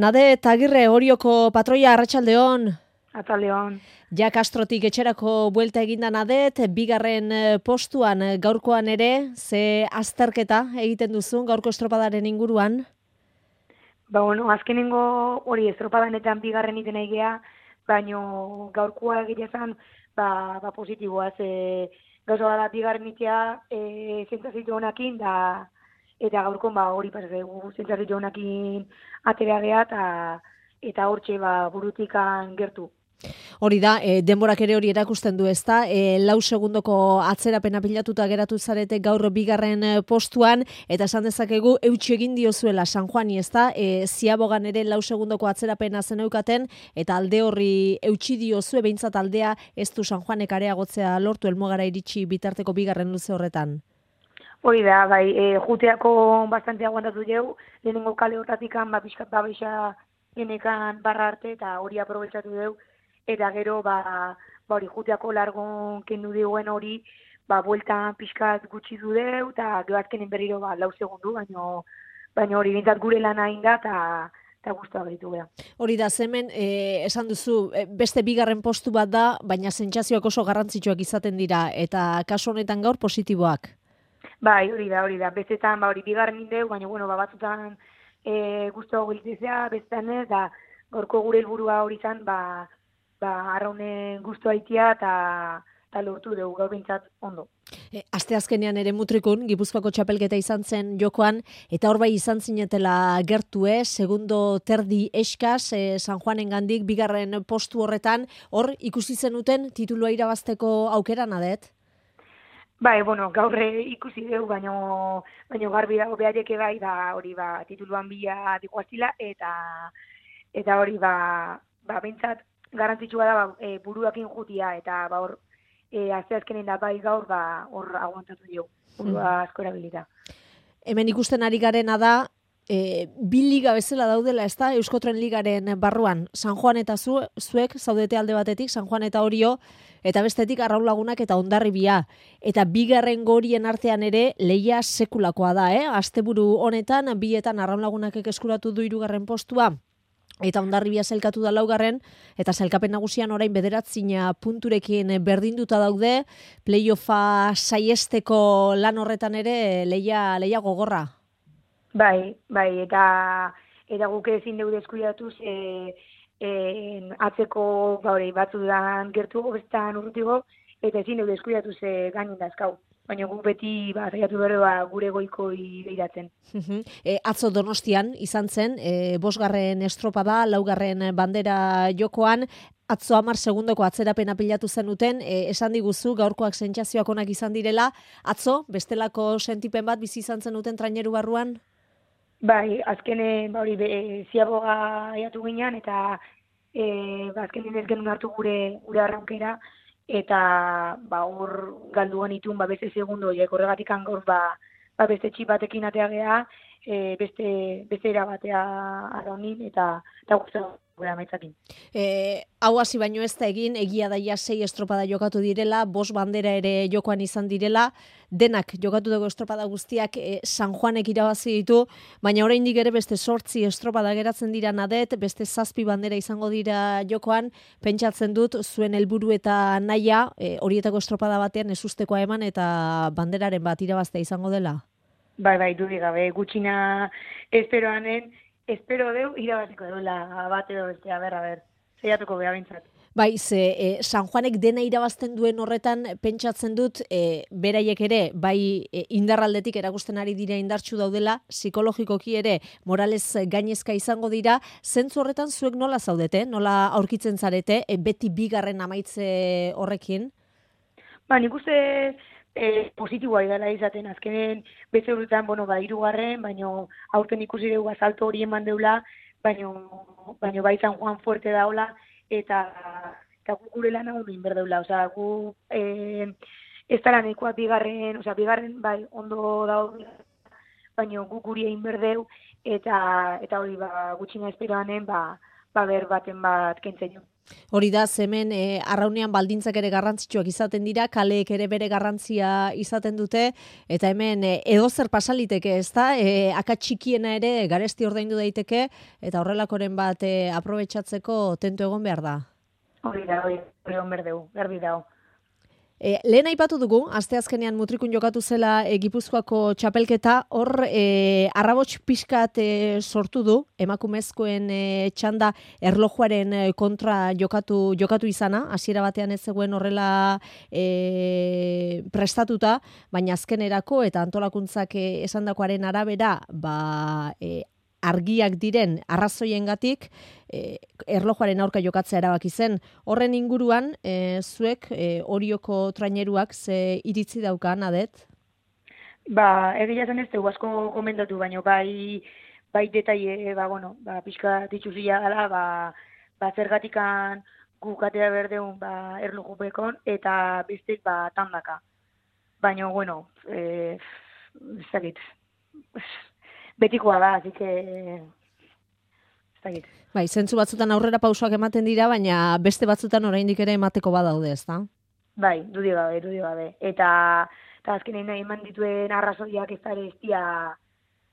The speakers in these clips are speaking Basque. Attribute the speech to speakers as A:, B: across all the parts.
A: Nade Tagirre Orioko patroia arratsaldeon.
B: Ataldeon.
A: Ja Castrotik etxerako buelta eginda Nadet, bigarren postuan gaurkoan ere, ze azterketa egiten duzu gaurko estropadaren inguruan?
B: Azkenengo hori estropadanetan bigarren iten egea, baino gaurkoa egitezan, positiboa, gauza da bigarren itea zentzazitu honakin, eta gaurkon hori pasazegu zentzazitu honakin aterea geha, eta hortxe burutikan gertu.
A: Hori da, denborak ere hori erakusten du, ezta? 4 segundoko atzerapena pilatuta geratu zarete gaur bigarren postuan, eta esan dezakegu eutsi egin diozuela San Juani, ezta? Ziabogan ere 4 segundoko atzerapena zeneukaten, eta alde horri eutsi diozue, behintzat aldea ez du San Juanek areagotzea lortu helmugara iritsi bitarteko bigarren luze horretan.
B: Hori da, juteako bastante aguantatu jau, lehenengo kale hortatikan, pixkat babesa genekan barra arte, eta hori aprobetsatu deu, eta gero, hori juteako largon kendu diguen hori, bueltan pixkat gutxi du deu, eta gero azkenen berriro 4 segundu, baino hori bintzat gure lana inda, eta guztua gaitu gara.
A: Hori da, hemen esan duzu, beste bigarren postu bat da, baina sentsazioak oso garrantzitsuak izaten dira, eta kasu honetan gaur positiboak.
B: Hori da, bestetan hori bigarren indeu, baina batzutan guztua giltzea, bestetan ez, da gorko gure helburua hori izan, arraunen guztua itia, eta lortu dugu gaur bintzat ondo.
A: Asteazkenean ere Mutrikun, Gipuzkoako txapelketa izan zen jokoan, eta hor bai izan zinetela gertu, segundo terdi eskas, San Juanen gandik, bigarren postu horretan, hor ikusi zenuten titulua irabazteko aukera Nadet?
B: Gaur ikusi dugu, baino garbi dago behaieke hori tituluan bila dikoaztila, eta hori bintzat garantzitsua da buruakin jutia, eta hor asteazkenen da gaur hor aguantatu dugu, burua asko erabilita.
A: Hemen ikusten ari garena da, bi liga bezala daudela, ez da, Euskotren Ligaren barruan, San Juan eta zuek zaudete alde batetik, San Juan eta Orio, eta bestetik Arraun Lagunak eta Hondarribia. Eta bigarren gorien artean ere lehia sekulakoa da, asteburu honetan, bietan Arraun Lagunak eskuratu du 3. postua, eta Hondarribia sailkatu da 4. eta sailkapen nagusian orain 9 punturekin berdinduta daude, playoffa saiesteko lan horretan ere lehia gogorra.
B: Eta guk ezin dugu deskuidatuz atzeko batzudan gertu bestan urrutigo, eta ezin dugu deskuidatuz gainin dazkau. Baina guk beti zaiatu bere gure goikoi behiratzen.
A: Atzo Donostian izan zen, 5. estropada, 4. bandera jokoan, atzo 10 segundoko atzerapena pilatu zenuten, esan diguzu gaurkoak sentsazioak onak izan direla, atzo bestelako sentipen bat bizi izan zenuten traineru barruan?
B: Azkenen ziaboga aiatu ginean, eta azkenen ez genuen hartu gure arraukera, eta hor galdu genitun beste segundo, horregatik gaur beste txip batekin atea geha, beste erabatea arraunin, eta guztua gure amaitzakin.
A: Hau hasi baino ez da egin, egia daia 6 estropada jokatu direla, 5 bandera ere jokoan izan direla, denak jokatu dugu estropada guztiak San Juanek irabazi ditu, baina oraindik ere beste 8 estropada geratzen dira Nadet, beste 7 bandera izango dira jokoan, pentsatzen dut zuen helburu eta nahia horietako estropada batean ezustekoa eman eta banderaren bat irabaztea izango dela?
B: Dudik gabe, gutxina espero deu irabaziko duela bat edo bestea, ber, zeiatuko beha bintzat.
A: San Juanek dena irabazten duen horretan pentsatzen dut beraiek ere, indarraldetik erakusten ari dira indartsu daudela, psikologikoki ere moralez gainezka izango dira, zentzu horretan zuek nola zaudete, nola aurkitzen zarete, beti bigarren amaitze horrekin?
B: Nik uste positiboa idala izaten, azkenen beste horretan, 3. baino aurten ikusi dugu azalto hori eman deula, baino San Juan fuerte daula, eta gure lan hau egin berdeula, gu ez dara nahikoa bigarren ondo dago, baino gu guri egin berdeu, eta hori gutxina esperoanen, ber baten bat kentzen jo.
A: Hori da, hemen arraunean baldintzak ere garrantzitsuak izaten dira, kaleek ere bere garrantzia izaten dute, eta hemen edozer pasaliteke, ez da? Akats txikiena ere garesti ordaindu daiteke, eta horrelakoren bat aprobetxatzeko tentu egon behar da.
B: Hori egon berdeu, garbi dago.
A: Lehen aipatu dugu, asteazkenean Mutrikun jokatu zela Gipuzkoako txapelketa, hor arrabots pixkat sortu du, emakumezkoen txanda erlojuaren kontra jokatu izana, hasiera batean ez zegoen horrela prestatuta, baina azkenerako eta antolakuntzak esandakoaren arabera, argiak diren arrazoiengatik erlojuaren aurka jokatzea erabaki zen. Horren inguruan, zuek Orioko traineruak ze iritzi daukan, Adet?
B: Egia zen ez dugu asko komentatu, baina bai detaile, pixka dituzia gala, zergatikan gukatea berdeun erlojupekon, eta bestek tandaka. Baina, ez dakit, betikoa da, así que ez dakit.
A: Bai, zentzu batzutan aurrera pausoak ematen dira, baina beste batzutan oraindik ere emateko badaude, ezta?
B: Bai, dudi gabe. Eta azkenean eman dituen arrazoiak ez da ere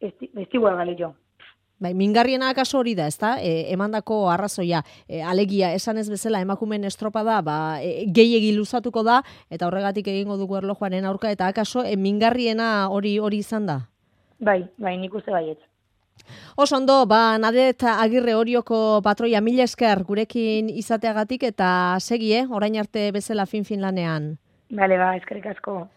B: ez digua galio.
A: Bai, mingarriena akaso hori da, ezta? Emandako arrazoia, alegia esan ez bezala emakumeen estropada, gehiegi luzatuko da, eta horregatik egingo dugu erlojuaren aurka, eta akaso mingarriena hori izan da?
B: Bai, nik uste baietz.
A: Oso ondo, Nadet Agirre Orioko patroia, mila esker gurekin izateagatik eta segi, orain arte bezala fin lanean.
B: Bale, eskerrik asko.